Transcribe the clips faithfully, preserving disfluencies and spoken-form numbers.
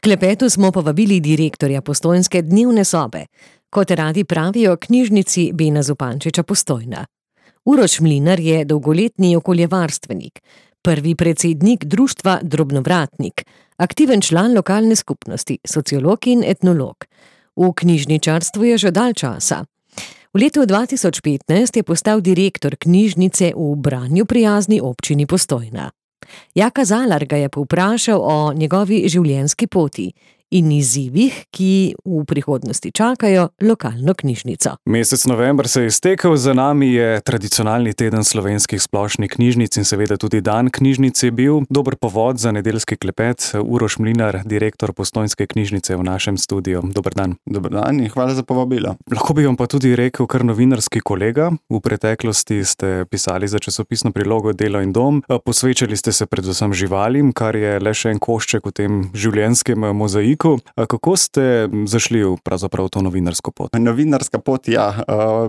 klepetu smo povabili direktorja postojnske dnevne sobe, kot radi pravijo knjižnici Bena Zupančiča Postojna. Uroš Mlinar je dolgoletni okoljevarstvenik, prvi predsednik društva Drobnovratnik, aktiven član lokalne skupnosti, sociolog in etnolog. V knjižničarstvu je že dalj časa. V letu dva tisoč petnajst je postal direktor knjižnice v Branju prijazni občini Postojna. Jaka Zalar ga je povprašal o njegovi življenjski poti in izzivih, ki v prihodnosti čakajo lokalno knjižnico. Mesec november se je iztekel, za nami je tradicionalni teden slovenskih splošnih knjižnic in seveda tudi dan knjižnic je bil. Dober povod za nedeljski klepet. Uroš Mlinar, direktor Postojnske knjižnice v našem studiu. Dober dan. Dober dan in hvala za povabilo. Lahko bi vam pa tudi rekel kar novinarski kolega. V preteklosti ste pisali za časopisno prilogo Delo in dom. Posvečali ste se predvsem živalim, kar je le še en košček v tem življenjskem mozaiku. Kako ste zašli v pravzaprav to novinarsko pot? Novinarska pot, ja.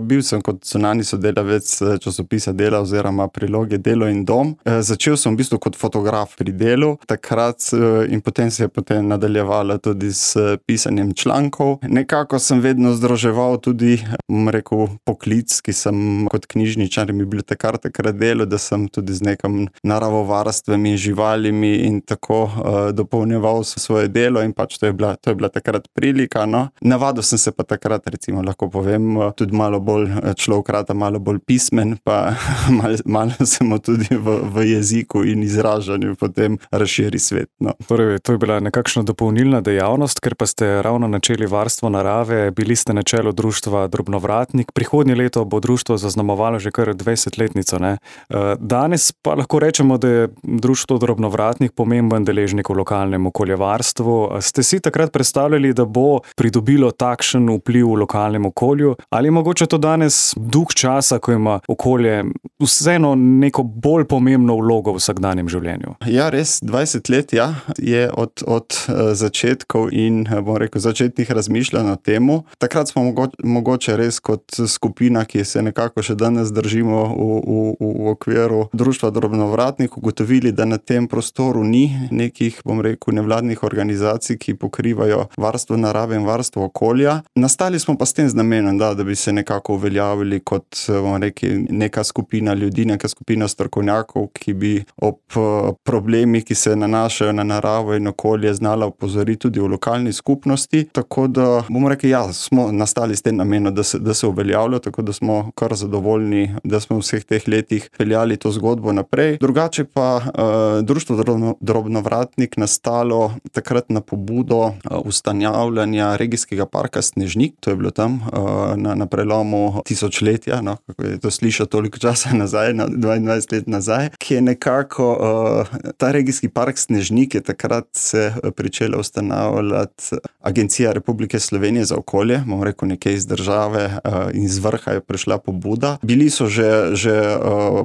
Bil sem kot zunanji sodelavec časopisa Dela oziroma priloge Delo in dom. Začel sem v bistvu kot fotograf pri Delu takrat in potem se je potem nadaljevala tudi s pisanjem člankov. Nekako sem vedno združeval tudi, bom rekel, poklic, ki sem kot knjižničar in bibliotekar takrat delal, da sem tudi z nekim naravovarstvom in živalimi in tako dopolnjeval svoje delo in pač To je, bila, to je bila takrat prilika, no. Navadil sem se pa takrat, recimo, lahko povem, tudi malo bolj človekrata, malo bolj pismen, pa malo, malo sem tudi v, v jeziku in izražanju potem razširi svet, no. Torej, to je bila nekakšna dopolnilna dejavnost, ker pa ste ravno načeli varstvo narave, bili ste na čelu društva Drobnovratnik. Prihodnje leto bo društvo zaznamovalo že kar dvajsetletnico, ne. Danes pa lahko rečemo, da je društvo Drobnovratnik pomemben deležnik v lokalnem okoljevarstvu. Ste si takrat predstavljali, da bo pridobilo takšen vpliv v lokalnem okolju? Ali je mogoče to danes duh časa, ko ima okolje vseeno neko bolj pomembno vlogo v vsakdanjem življenju? Ja, res, dvajset let, ja, je od, od začetkov in, bom rekel, začetnih razmišljanj o temu. Takrat smo mogoče, mogoče res kot skupina, ki se nekako še danes držimo v, v, v okviru društva Drobnovratnik, ugotovili, da na tem prostoru ni nekih, bom rekel, nevladnih organizacij, ki pokrivajo varstvo narave in varstvo okolja. Nastali smo pa s tem z namenom, da, da bi se nekako uveljavili kot, bomo rekli, neka skupina ljudi, neka skupina strokovnjakov, ki bi ob problemih, ki se nanašajo na naravo in okolje, znala opozoriti tudi v lokalni skupnosti. Tako da, bomo rekli, ja, smo nastali s tem namenom, da se, da se uveljavlja, tako da smo kar zadovoljni, da smo v vseh teh letih peljali to zgodbo naprej. Drugače pa uh, društvo Drobno, Drobnovratnik nastalo takrat na pobudo ustanavljanja regijskega parka Snežnik, to je bilo tam na, na prelomu tisočletja, no, kako je to slišal toliko časa nazaj, na dvaindvajset let nazaj, ki je nekako, ta regijski park Snežnik je takrat se pričela ustanavljati Agencija Republike Slovenije za okolje, bom rekel nekaj iz države in iz vrha je prišla pobuda. Bili so že, že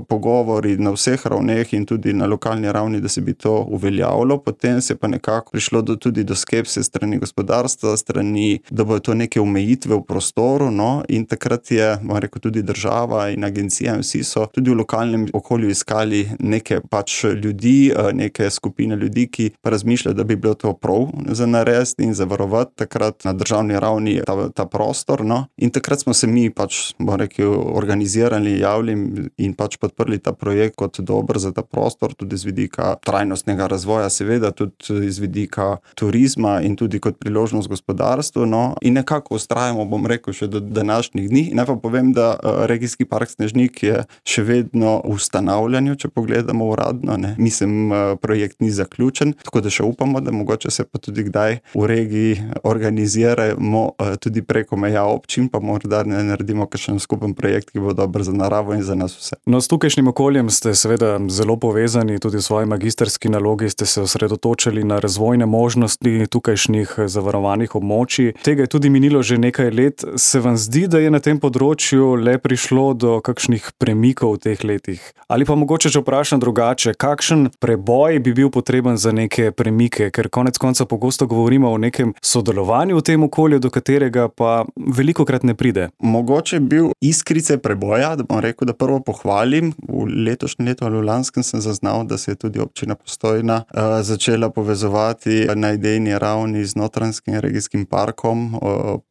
pogovori na vseh ravneh in tudi na lokalni ravni, da se bi to uveljavilo, potem se pa nekako prišlo do, tudi do skepse strani gospodarstva, strani, da bo to neke omejitve v prostoru, no, in takrat je, bom rekel, tudi država in agencija in vsi so tudi v lokalnem okolju iskali neke pač ljudi, neke skupine ljudi, ki pa razmišljajo, da bi bilo to prav za narediti in zavarovati takrat na državni ravni ta, ta prostor, no, in takrat smo se mi pač, bom rekel, organizirali, javili in pač podprli ta projekt kot dober za ta prostor, tudi z vidika trajnostnega razvoja, seveda tudi z vidika turizma in tudi kot priložnost gospodarstvu, no, in nekako ustrajamo, bom rekel, še do današnjih dni. Naj pa povem, da regijski park Snežnik je še vedno v ustanavljanju, če pogledamo uradno, ne. Mislim, projekt ni zaključen, tako da še upamo, da mogoče se pa tudi kdaj v regiji organiziramo tudi preko meja občin, pa morda ne naredimo kakšen skupen projekt, ki bo dober za naravo in za nas vse. No, s tukajšnjim okoljem ste seveda zelo povezani, tudi v svoji magisterski nalogi ste se osredotočili na razvojne možnosti tukajšnjih zavarovanih območij. Tega je tudi minilo že nekaj let. Se vam zdi, da je na tem področju le prišlo do kakšnih premikov v teh letih? Ali pa mogoče že vprašam drugače, kakšen preboj bi bil potreben za neke premike, ker konec konca pogosto govorimo o nekem sodelovanju v tem okolju, do katerega pa velikokrat ne pride. Mogoče bil iskrice preboja, da bom rekel, da prvo pohvalim. V letošnjem letu ali v lanskem sem zaznal, da se je tudi občina Postojna uh, začela povezovati na idejni državni ravni z Notranjskim regijskim parkom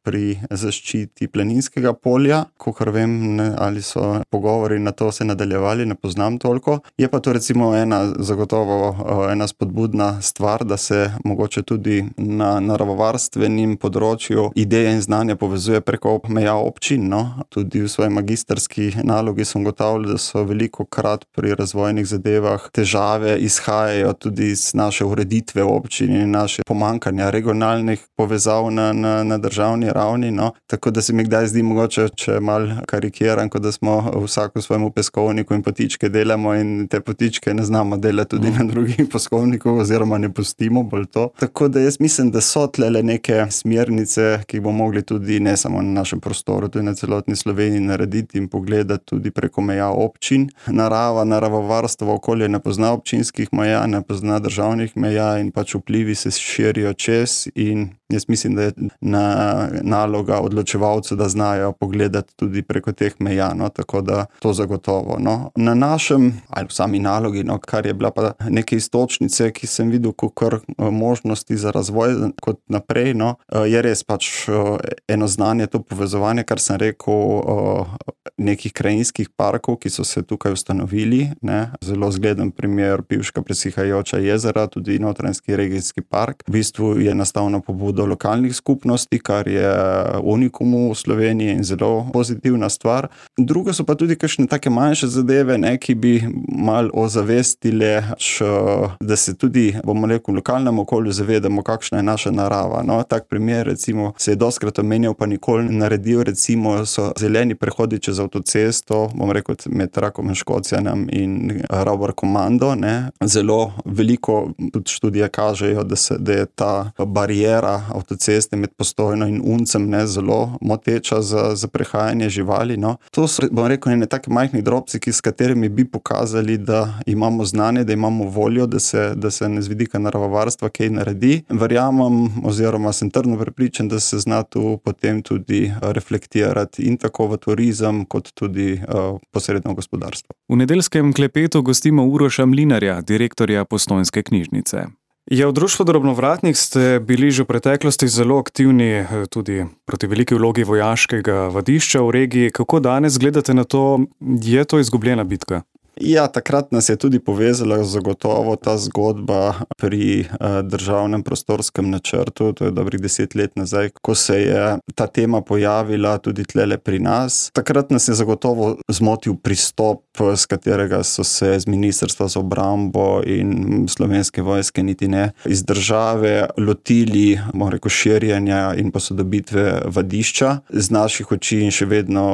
pri zaščiti Planinskega polja. Kakor vem, ne, ali so pogovori na to se nadaljevali, ne poznam toliko. Je pa to recimo ena zagotovo ena spodbudna stvar, da se mogoče tudi na naravovarstvenim področju ideje in znanja povezuje preko meja občin. No? Tudi v svoji magistrski nalogi sem ugotavljal, da so veliko krat pri razvojnih zadevah težave izhajajo tudi iz naše ureditve občin in naše pomankanja regionalnih povezav na, na, na državni ravni. No? Tako da se mi kdaj zdi mogoče, če mal karikiram, kot da smo vsak v svojemu peskovniku in potičke delamo in te potičke ne znamo delati tudi na drugih peskovnikov oziroma ne pustimo bolj to. Tako da jaz mislim, da so tlele neke smernice, ki bomo mogli tudi ne samo na našem prostoru, tudi na celotni Sloveniji narediti in pogledati tudi preko meja občin. Narava, naravovarstvo, okolje ne pozna občinskih meja, ne pozna državnih meja in pač vplivi se širijo čez in jaz mislim, da je na, naloga odločevalcev, da znajo pogledati tudi preko teh meja, no, tako da to zagotovo. No. Na našem, ali v sami nalogi, no, kar je bila pa neke istočnice, ki sem videl kakor možnosti za razvoj kot naprej, no, je res pač eno znanje, to povezovanje, kar sem rekel, nekih krajinskih parkov, ki so se tukaj ustanovili, ne. Zelo zgleden primer Pivška presihajoča jezera, tudi Notranjski regijski park. V bistvu je nastal na pobudo lokalnih skupnosti, kar je unikum v Sloveniji in zelo pozitivna stvar. Drugo so pa tudi kakšne take manjše zadeve, ne, ki bi malo ozavestile, da se tudi, bomo rekel, v lokalnem okolju zavedamo, kakšna je naša narava. No, tak primer, recimo, se je dostkrat omenjal, pa nikoli naredil, recimo, so zeleni prehodi čez avtocesto, bom rekel, med Rakom in Škocjanem in Ravbar Komando, ne. Zelo veliko tudi študije kažejo, da, se, da je ta barijera avtoceste med Postojno in Uncem, ne, zelo moteča za, za prehajanje živali. No. To so, bom rekel, ne take majhni drobci, s katerimi bi pokazali, da imamo znanje, da imamo voljo, da se, da se z vidika naravovarstva kaj naredi. Verjamem oziroma sem trdno prepričan, da se zna tu potem tudi reflektirati in tako v turizem, kot tudi uh, posredno gospodarstvo. V nedeljskem klepetu gostimo Uroša Mlinarja, direktorja Postojnske knjižnice. Ja, v Društvu Drobnovratnik ste bili že v preteklosti zelo aktivni tudi proti veliki vlogi vojaškega vadišča v regiji. Kako danes gledate na to? Je to izgubljena bitka? Ja, takrat nas je tudi povezala zagotovo ta zgodba pri uh, državnem prostorskem načrtu, to je dobrih deset let nazaj, ko se je ta tema pojavila tudi tlele pri nas. Takrat nas je zagotovo zmotil pristop, s katerega so se z Ministrstva za obrambo in Slovenske vojske niti ne iz države lotili, bom rekel, širjenja in posodobitve vadišča. Z naših oči in še vedno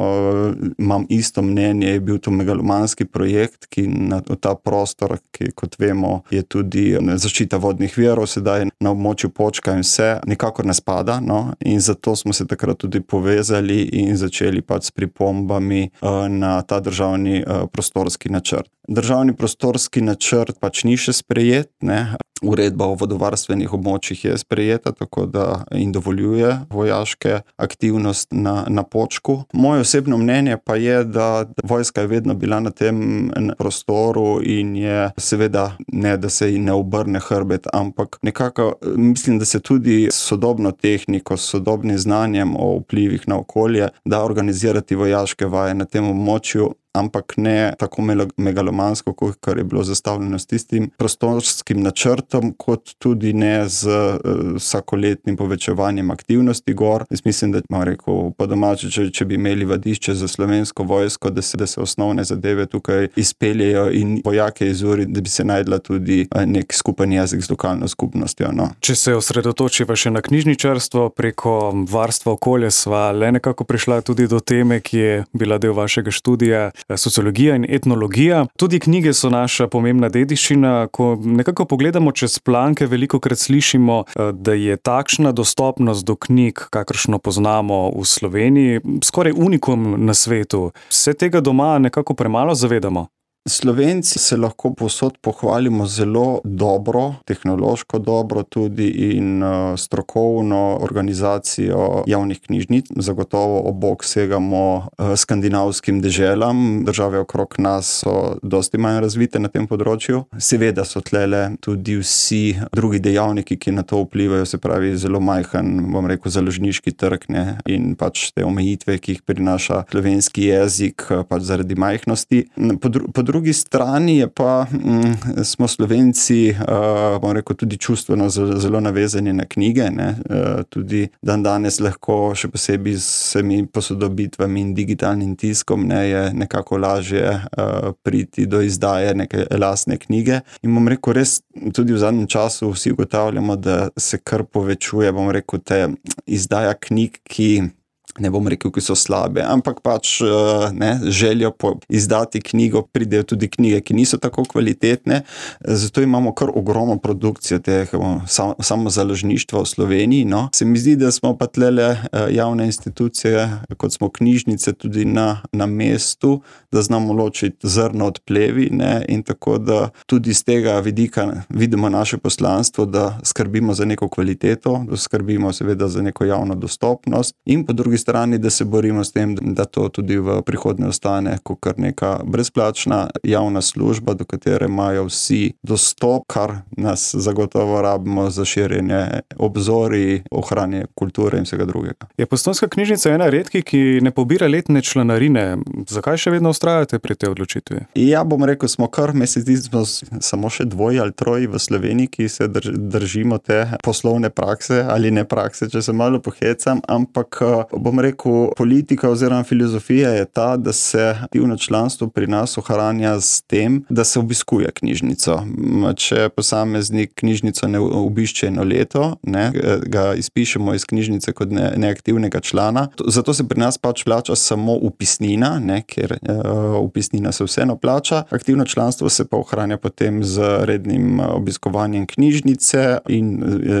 imam isto mnenje, je bil to megalomanski projekt, ki na ta prostor, ki kot vemo je tudi zaščita vodnih virov, sedaj na območju Počka in vse, nikakor ne spada, no, in zato smo se takrat tudi povezali in začeli pač s pripombami na ta državni prostorski načrt. Državni prostorski načrt pač ni še sprejet, ne. Uredba o vodovarstvenih območjih je sprejeta, tako da in dovoljuje vojaške aktivnosti na, na Počku. Moje osebno mnenje pa je, da vojska je vedno bila na tem prostoru in je seveda ne, da se ji ne obrne hrbet, ampak nekako mislim, da se tudi s sodobno tehniko, s sodobnim znanjem o vplivih na okolje da organizirati vojaške vaje na tem območju, ampak ne tako megalomansko, kot je bilo zastavljeno s tistim prostorskim načrtom, kot tudi ne z uh, vsakoletnim povečevanjem aktivnosti gor. Jaz mislim, da ima rekel po domače, če, če bi imeli vadišče za Slovensko vojsko, da se, da se osnovne zadeve tukaj izpeljejo in vojake izuri, da bi se najdla tudi uh, nek skupen jezik z lokalno skupnostjo. No. Če se osredotočiva še na knjižničarstvo, preko varstva okolja sva le nekako prišla tudi do teme, ki je bila del vašega študija, sociologija in etnologija. Tudi knjige so naša pomembna dediščina. Ko nekako pogledamo čez planke, velikokrat slišimo, da je takšna dostopnost do knjig, kakršno poznamo v Sloveniji, skoraj unikum na svetu. Se tega doma nekako premalo zavedamo? Slovenci se lahko povsod pohvalimo zelo dobro, tehnološko dobro tudi in uh, strokovno organizacijo javnih knjižnic. Zagotovo ob bok segamo uh, skandinavskim deželam. Države okrog nas so dosti manj razvite na tem področju. Seveda so tlele tudi vsi drugi dejavniki, ki na to vplivajo, se pravi zelo majhen, bom rekel, založniški trg, ne, in pač te omejitve, ki jih prinaša slovenski jezik, pač zaradi majhnosti. Po, dru, po drugi strani je pa, m, smo Slovenci, uh, bom rekel, tudi čustveno zelo, zelo navezani na knjige, ne. Uh, tudi dan danes lahko, še posebej s vsemi posodobitvami in digitalnim tiskom, ne, je nekako lažje uh, priti do izdaje neke lastne knjige. In bom rekel, res tudi v zadnjem času vsi ugotavljamo, da se kar povečuje, bom rekel, te izdaja knjig, ki ne bom rekel, ki so slabe, ampak pač ne, željo po izdati knjigo, pridejo tudi knjige, ki niso tako kvalitetne, zato imamo kar ogromno produkcijo teh sam, samozaložništva v Sloveniji, no. Se mi zdi, da smo pa tlele javne institucije, kot smo knjižnice, tudi na, na mestu, da znamo ločiti zrno od plevi, ne, in tako da tudi z tega vidika vidimo naše poslanstvo, da skrbimo za neko kvaliteto, da skrbimo seveda za neko javno dostopnost in po drugi strani, da se borimo s tem, da to tudi v prihodnje ostane kot kar neka brezplačna javna služba, do katere imajo vsi dostop, kar nas zagotovo rabimo za širjenje obzorij, ohranjanje kulture in vsega drugega. Je Postojnska knjižnica ena redkih, ki ne pobira letne članarine. Zakaj še vedno vztrajate pri tej odločitvi? Ja, bom rekel, smo kar meseci, smo samo še dvoji ali troji v Sloveniji, ki se drž, držimo te poslovne prakse ali ne prakse, če se malo pohecam, ampak bom rekel, politika oziroma filozofija je ta, da se aktivno članstvo pri nas ohranja s tem, da se obiskuje knjižnico. Če posameznik knjižnico ne obišče eno leto, ne, ga izpišemo iz knjižnice kot ne, neaktivnega člana. Zato se pri nas pač plača samo upisnina, ne, ker uh, upisnina se vseeno plača. Aktivno članstvo se pa ohranja potem z rednim obiskovanjem knjižnice in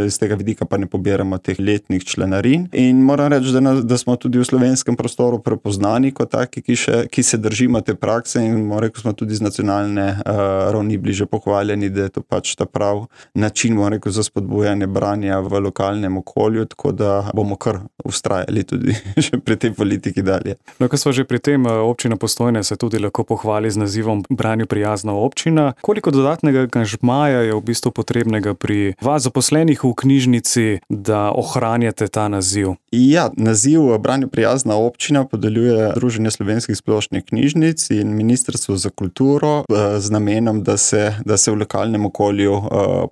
iz tega vidika pa ne pobiramo teh letnih članarin. In moram reči, da, na, da smo tudi v slovenskem prostoru prepoznani kot taki, ki, še, ki se držimo te prakse in moram rekel, smo tudi z nacionalne uh, ravni bliže pohvaljeni, da je to pač ta prav način, moram rekel, za spodbujanje branja v lokalnem okolju, tako da bomo kar ustrajali tudi še pri tej politiki dalje. No, ko smo že pri tem, občina Postojna se tudi lahko pohvali z nazivom Branju prijazna občina. Koliko dodatnega angažmaja je v bistvu potrebnega pri vas zaposlenih v knjižnici, da ohranjate ta naziv? Ja, naziv Branju prijazna občina podeljuje Združenje slovenskih splošnih knjižnic in Ministrstvo za kulturo z namenom, da se, da se v lokalnem okolju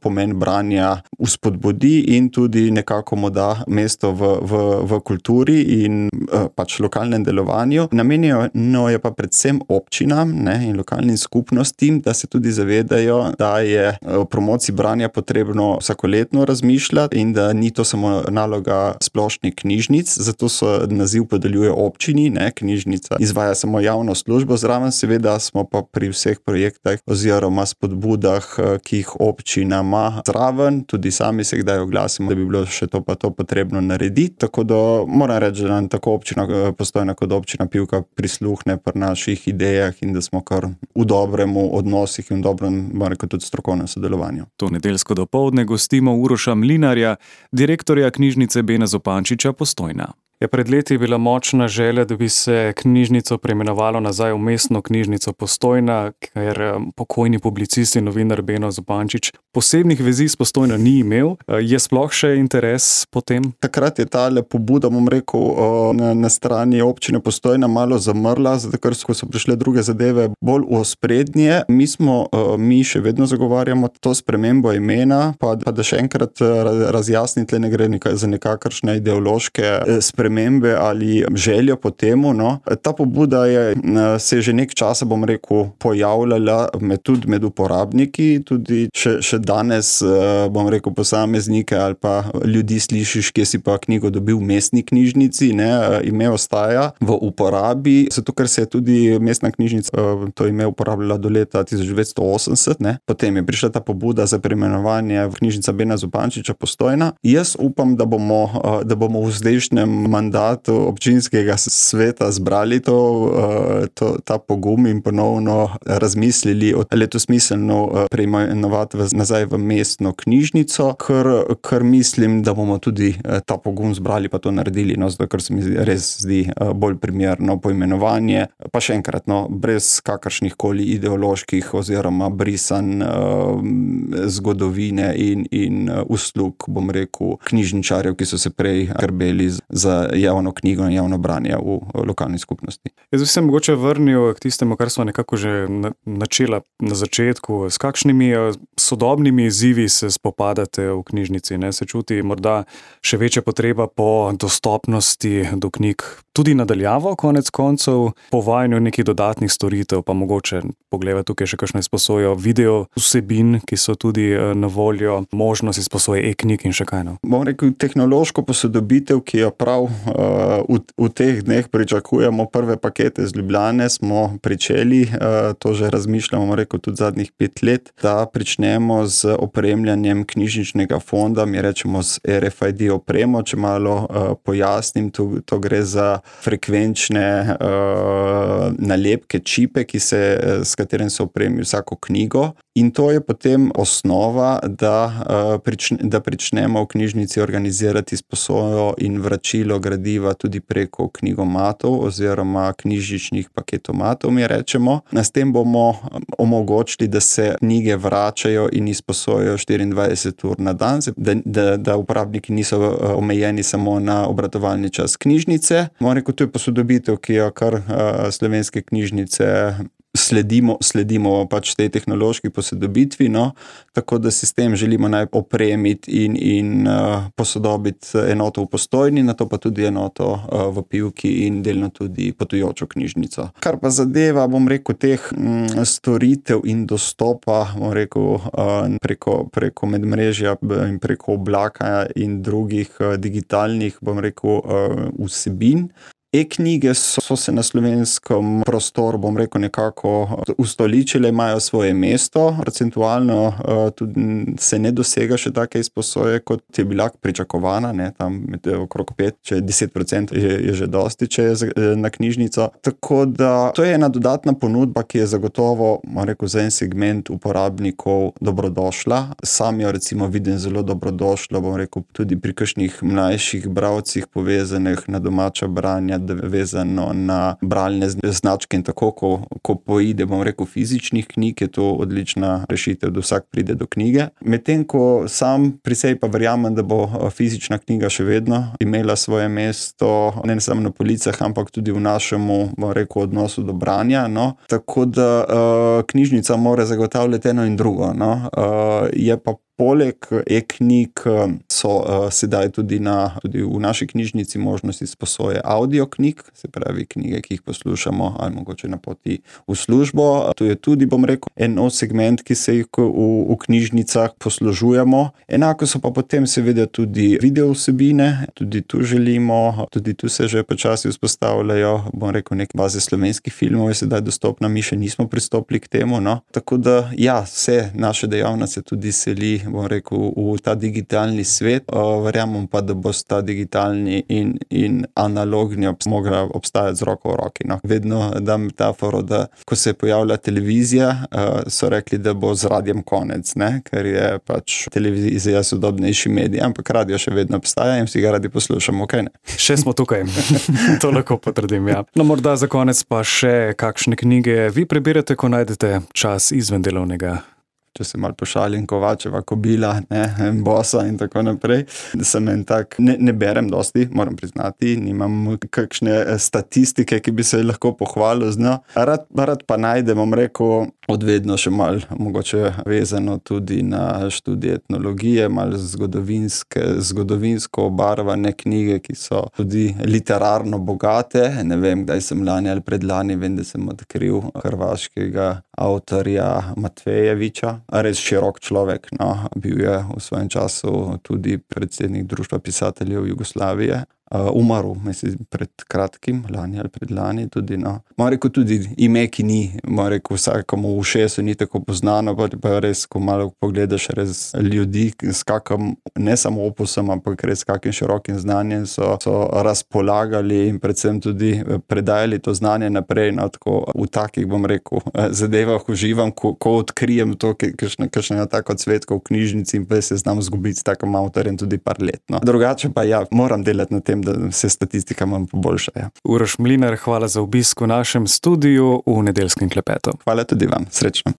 pomen branja uspodbudi in tudi nekako mu da mesto v, v, v kulturi in pač lokalnem delovanju. Namenjeno je pa predvsem občinam, ne, in lokalnim skupnostim, da se tudi zavedajo, da je v promociji branja potrebno vsakoletno razmišljati in da ni to samo naloga splošnih knjižnic, zato so naziv podeljuje občini, ne, knjižnica izvaja samo javno službo, zraven seveda smo pa pri vseh projektih oziroma spodbudah, ki jih občina ima zraven, tudi sami se kdaj oglasimo, da bi bilo še to pa to potrebno narediti, tako da moram reči, da nam tako občina Postojna kot občina Pivka prisluhne pri naših idejah in da smo kar v dobremu odnosih in v dobrem, moram reči, tudi strokovnem sodelovanju. To nedeljsko dopoldne gostimo Uroša Mlinarja, direktorja knjižnice Bena Zupančiča Postojna. Je pred leti bila močna želja, da bi se knjižnico preimenovalo nazaj v mestno knjižnico Postojna, ker pokojni publicist in novinar Beno Zupančič posebnih vezi s Postojno ni imel. Je sploh še interes po tem? Takrat je tale pobuda, bom rekel, na, na strani občine Postojna malo zamrla, zato ker so prišle druge zadeve bolj v ospredje. Mi smo, mi še vedno zagovarjamo to spremembo imena, pa, pa da še enkrat razjasniti, ne gre nekaj, za nekakršne ideološke spremembe spremembe ali željo po temu, no. Ta pobuda je se že nek časa, bom rekel, pojavljala med, tudi med uporabniki, tudi še, še danes, bom rekel, posameznike ali pa ljudi slišiš, kje si pa knjigo dobil v mestni knjižnici, ne, ime ostaja v uporabi, zato ker se je tudi mestna knjižnica to ime uporabljala do leta tisoč devetsto osemdeset, ne. Potem je prišla ta pobuda za preimenovanje v knjižnica Bena Zupančiča Postojna. Jaz upam, da bomo, da bomo v zdajšnjem mandatu občinskega sveta zbrali to, to, ta pogum in ponovno razmislili, ali je to smiselno preimenovati nazaj v mestno knjižnico, ker, ker mislim, da bomo tudi ta pogum zbrali pa to naredili, no, zato ker se mi res zdi bolj primerno poimenovanje. Pa še enkrat, no, brez kakršnih koli ideoloških oziroma brisanj zgodovine in, in uslug, bom rekel, knjižničarjev, ki so se prej skrbeli za javno knjigo in javno branje v lokalni skupnosti. Jaz bi se mogoče vrnil k tistemu, kar smo nekako že načela na začetku. S kakšnimi sodobnimi izzivi se spopadate v knjižnici? Ne? Se čuti morda še večja potreba po dostopnosti do knjig, tudi nadaljavo, konec koncev, po uvajanju nekih dodatnih storitev, pa mogoče pogleda tukaj še kakšno izposojo video vsebin, ki so tudi na voljo, možnost izposoje e-knjig in še kaj. No? Bom rekel, tehnološko posodobitev, ki jo prav uh, v, v teh dneh pričakujemo, prve pakete z Ljubljane smo pričeli, uh, to že razmišljamo, bom rekel, tudi zadnjih pet let, da pričnemo z opremljanjem knjižničnega fonda, mi rečemo z R F I D opremo, če malo uh, pojasnim, to, to gre za frekvenčne uh, nalepke, čipe, ki se, s katerim se opremi vsako knjigo. In to je potem osnova, da, uh, prične, da pričnemo v knjižnici organizirati izposojo in vračilo gradiva tudi preko knjigomatov oziroma knjižničnih paketomatov, mi rečemo. S tem bomo omogočili, da se knjige vračajo in izposojajo štiriindvajset ur na dan, da, da, da uporabniki niso omejeni samo na obratovalni čas knjižnice. Moram rekel, to je posodobitev, ki jo kar uh, slovenske knjižnice Sledimo, sledimo pač tej tehnološki posodobitvi, no, tako da sistem želimo naj opremiti in, in uh, posodobiti enoto v Postojni, nato pa tudi enoto uh, v Pivki in delno tudi potujočo knjižnico. Kar pa zadeva, bom rekel, teh mm, storitev in dostopa, bom rekel, uh, preko, preko medmrežja in preko oblaka in drugih uh, digitalnih, bom rekel, uh, vsebin. E-knjige so, so se na slovenskem prostoru, bom rekel, nekako ustoličile, imajo svoje mesto. Procentualno uh, tudi se ne dosega še take izposoje, kot je bila pričakovana, ne, tam med okrog pet, če deset procentov je, je že dosti, če je na knjižnico. Tako da to je ena dodatna ponudba, ki je zagotovo, bom rekel, za en segment uporabnikov dobrodošla. Sam jo recimo vidim zelo dobrodošlo, bom rekel, tudi pri kakšnih mlajših bralcih povezanih na domača branja, vezano na bralne značke in tako, ko, ko poide, bom rekel, fizičnih knjig, je to odlična rešitev, da vsak pride do knjige. Medtem, ko sam pri sebi pa verjamem, da bo fizična knjiga še vedno imela svoje mesto, ne samo na policah, ampak tudi v našemu, bom rekel, odnosu do branja, no. Tako da uh, knjižnica mora zagotavljati eno in drugo, no. Uh, je pa Poleg e-knjig so uh, sedaj tudi, na, tudi v naši knjižnici možnosti izposoje audio knjig, se pravi knjige, ki jih poslušamo ali mogoče na poti v službo. To je tudi, bom rekel, en segment, ki se jih v, v knjižnicah poslužujemo. Enako so pa potem seveda tudi video vsebine, tudi tu želimo, tudi tu se že počasi vzpostavljajo, bom rekel, neke baze slovenskih filmov je sedaj dostopna, mi še nismo pristopili k temu, no. Tako da, ja, vse naše dejavnosti tudi seli, bom rekel, v ta digitalni svet. Verjamem pa, da bo ta digitalni in, in analogni obs- mogla obstajati z roko v roki. No. Vedno dam metaforo, da ko se je pojavila televizija, so rekli, da bo z radiem konec, ne? Ker je pač televizija sodobnejši medij, ampak radio še vedno obstaja in vsi ga radi poslušamo, kaj ne? Še smo tukaj, to lahko potrdim, ja. No, morda za konec pa še kakšne knjige vi prebirate, ko najdete čas izven delovnega? Če se malo pošalim, Kovačeva kobila, ne, Bosa in tako naprej. Sem en tak, ne, ne berem dosti, moram priznati, nimam kakšne statistike, ki bi se lahko pohvalil z njo. Rad, rad pa najdem, bom rekel, odvedno še malo, mogoče vezano tudi na študij etnologije, malo zgodovinske, zgodovinsko obarvane knjige, ki so tudi literarno bogate. Ne vem, kdaj sem lani ali predlani, vem, da sem odkril hrvaškega avtorja Matvejeviča. Res širok človek, no, bil je v svojem času tudi predsednik Društva pisateljev Jugoslavije. uh, umrl, mislim, pred kratkim, lani ali predlani tudi, no. Moram rekel, tudi ime, ki ni, moram rekel, vsakomu v ušesu ni tako poznano, pa, pa res, ko malo pogledaš res ljudi, s kakim, ne samo opusom, ampak res kakim širokim znanjem so, so razpolagali in predvsem tudi predajali to znanje naprej, no, tako v takih, bom rekel, zadevah uživam, ko, ko odkrijem to, kakšna tako cvetka v knjižnici in pa se znam zgubiti s takim avtorjem tudi par let, no. Drugače pa ja, moram delati na tem, da se statistika manj poboljša, ja. Uroš Mlinar, hvala za obisk v našem studiu v Nedeljskem klepetu. Hvala tudi vam, srečno.